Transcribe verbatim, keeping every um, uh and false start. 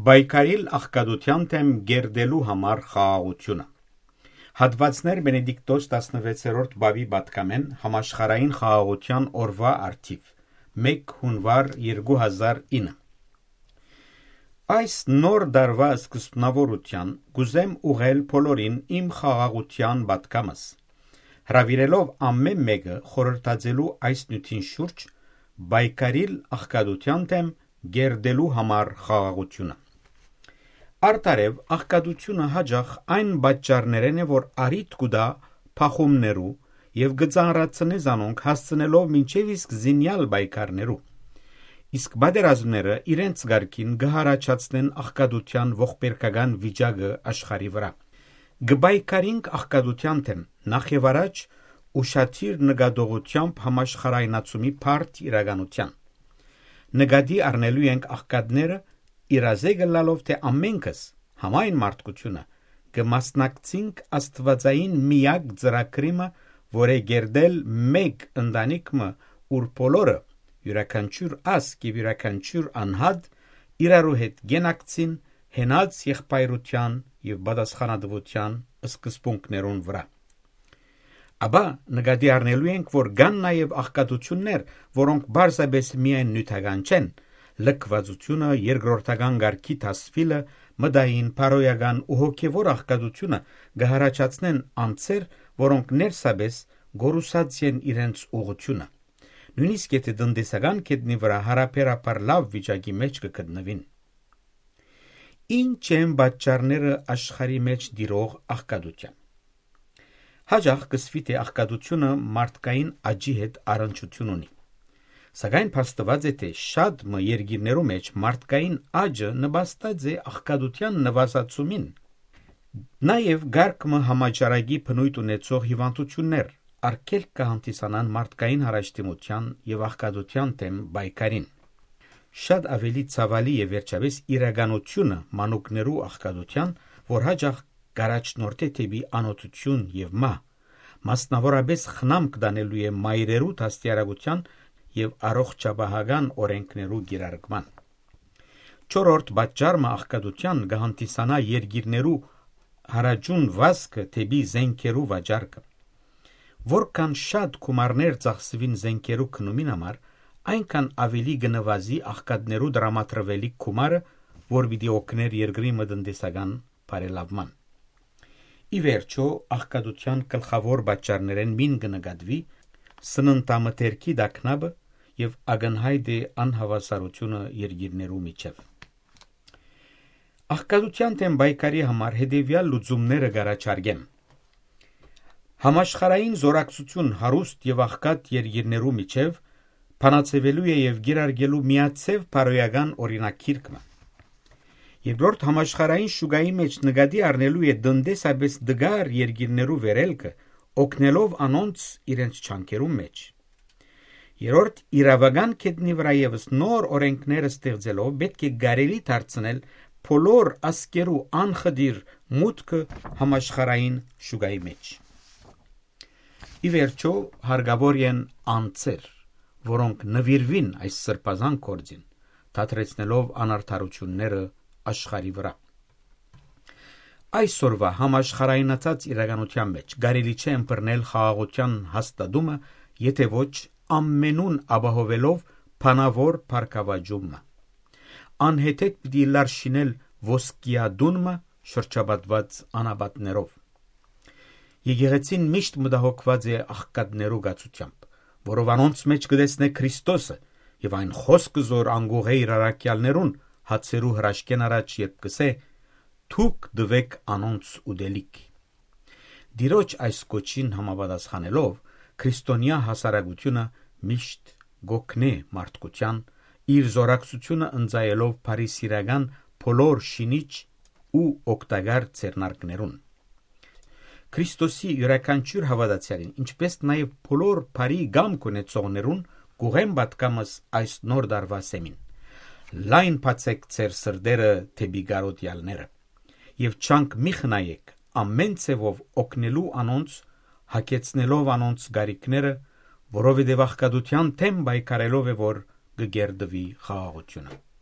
Պայքարիլ աղքատութեան դէմ կերտելու համար խաղաղութիւնը։ Հատուածներ Բենեդիկտոս տասնվեցերորդ պապի պատգամէն համաշխարհային խաղաղութեան օրուայ առթիւ, մէկ յունուար երկու հազար ինը։ Այս նոր տարուայ սկզբնաւորութեան կ'ուզեմ ուղղել բոլորին իմ խաղաղութեան պատգամս, հրաւիրելով ամէն մէկը խորհրդածելու այս նիւթին շուրջ պայքարիլ աղքատութեան դէմ կերտելու համար խաղաղութիւնը։ Արդարեւ, աղքատութիւնը յաճախ այն պատճառներէն է, որ առիթ կու տայ փախումներու եւ կը ծանրացնէ զանոնք, հասցնելով մինչեւ իսկ զինեալ պայքարներու։ Իսկ պատերազմները իրենց կարգին կը յառաջացնեն աղքատութեան ողբերգական վիճակը աշխարհի վրայ։ Կը պայքարինք աղքատութեան դէմ, նախ եւ առաջ ուշադիր նկատողութեամբ համաշխարհայնացումի բարդ իրականութեան։ Նկատի առնելու ենք աղքատները, իրազեկ ըլլալով թէ ամենքս, համայն մարդկութիւնը, կը մասնակցինք աստուածային միակ ծրագրի մը, որ է կերտել մէկ ընտանիք մը, ուր բոլորը, իւրաքանչիւր ազգ եւ իւրաքանչիւր անհատ, իրարու հետ կենակցին յենաց եղբայրութեան եւ պատասխանատուութեան սկզբունքներուն վրայ։ Ապա նկատի առնելու ենք, որ կան նաեւ աղքատութիւններ, որոնք պարզապէս միայն նիւթական չեն, լքուածութիւնը, երկրորդական կարգի դասուիլը, մտային, բարոյական ու հոգեւոր աղքատութիւնը կը յառաջացնեն անձեր, որոնք ներսապէս կորուսած են իրենց ուղղութիւնը։ Նոյնիսկ եթէ տնտեսական գետնի վրայ յարաբերաբար լաւ վիճակի մէջ կը գտնուին։ Ի՞նչ են պատճառները աշխարհի մէջ տիրող աղքատութեան։ Յաճախ կ'ըսուի թէ աղքատութիւնը մարդկային աճի հետ առնչութիւն ունի։ Սակայն փաստուած է թէ շատ մը երկիրներու մէջ մարդկային աճը նպաստած է աղքատութեան նուազացումին։ Նաեւ կարգ մը համաճարակի բնոյթ ունեցող հիւանդութիւններ արգելք կը հանդիսանան մարդկային յարաշտիմութեան եւ աղքատութեան դէմ պայքարին։ Շատ աւելի ցաւալի է վերջապէս իրականութիւնը մանուկներու աղքատութեան, որ յաճախ կ'առաջնորդէ դէպի անօթութիւն եւ մահ, մասնաւորապէս խնամք տանելու է մայրերու դաստիարակութեան եւ առողջապահական օրէնքներու կիրարկման։ Չորրորդ պատճառ մը աղքատութեան կը հանդիսանայ երկիրներու յարաճուն վազքը դէպի զէնքերու վաճառքը։ Որքան շատ գումարներ ծախսուին զէնքերու գնումին համար, այնքան աւելի կը նուազի աղքատներու տրամադրուելիք գումարը, որ պիտի օգնէր երկրի մը տնտեսական բարելաւման։ Ի վերջոյ, աղքատութեան գլխաւոր պատճառներէն մին կը նկատուի սննդամթերքի տագնապը եւ ակնյայտ է անհաւասարութիւնը երկիրներու միջեւ։ Աղքատութեան դէմ պայքարի համար հետեւեալ լուծումները կ'առաջարկեմ։ Համաշխարհային զօրակցութիւն հարուստ եւ աղքատ երկիրներու միջեւ բանաձեւելու է եւ կիրարկելու միաձեւ բարոյական օրինագիրք մը։ Երկրորդ, համաշխարհային շուկայի մէջ նկատի առնելու է տնտեսապէս տկար երկիրներու վերելքը, օգնելով անոնց իրենց ջանքերուն մէջ։ Երրորդ, իրաւական գետնի վրայ եւս նոր օրէնքներ ստեղծելով՝ պէտք է կարելի դարձնել բոլոր ազգերու անխտիր մուտքը համաշխարհային շուկայի մէջ։ Ի վերջոյ, հարկաւոր են անձեր, որոնք նուիրուին այս սրբազան գործին, դադրեցնելով անարդարութիւնները աշխարհի վրայ։ Այսօրուայ համաշխարհայնացած իրականութեան մէջ կարելի չէ ըմբռնել խաղաղութեան հաստատումը, եթէ ոչ, ամենուն ապահովելով բանաւոր բարգաւաճումը։ Անհեթեթ պիտի ըլլար շինել ոսկեատուն մը, շրջապատուած անապատներով։ Եկեղեցին միշտ մտահոգուած է աղքատներու կացութեամբ, որով անոնց մէջ կը տեսնէ Քրիստոսը, եւ այն խօսքը, զոր անկուղ է իր առաքեալներուն հացերու հրաշքէն առաջ, երբ կ'ըսէ. «Դուք տուէք անոնց ուտելիք»։ Տիրոջ այս կոչին համապատասխանելով, քրիստոնեայ հասարակութիւնը միշտ կ'օգնէ մարդկութեան, իր զօրակցութիւնը ընծայելով բարիսիրական բոլոր շինիչ ու օգտակար ձեռնարկներուն։ Քրիստոսի իւրաքանչիւր հաւատացեալին, ինչպէս նաեւ բոլոր բարի կամք ունեցողներուն, կ'ուղեմ պատգամս այս նոր տարուայ սեմին. լայն բացէք ձեր սրտերը դէպի կարոտեալները եւ ջանք մի խնայէք ամէն ձեւով օգնելու անոնց, յագեցնելով անոնց կարիքները, որովհետեւ աղքատութեան դէմ պայքարելով է, որ կը կերտուի խաղաղութիւնը։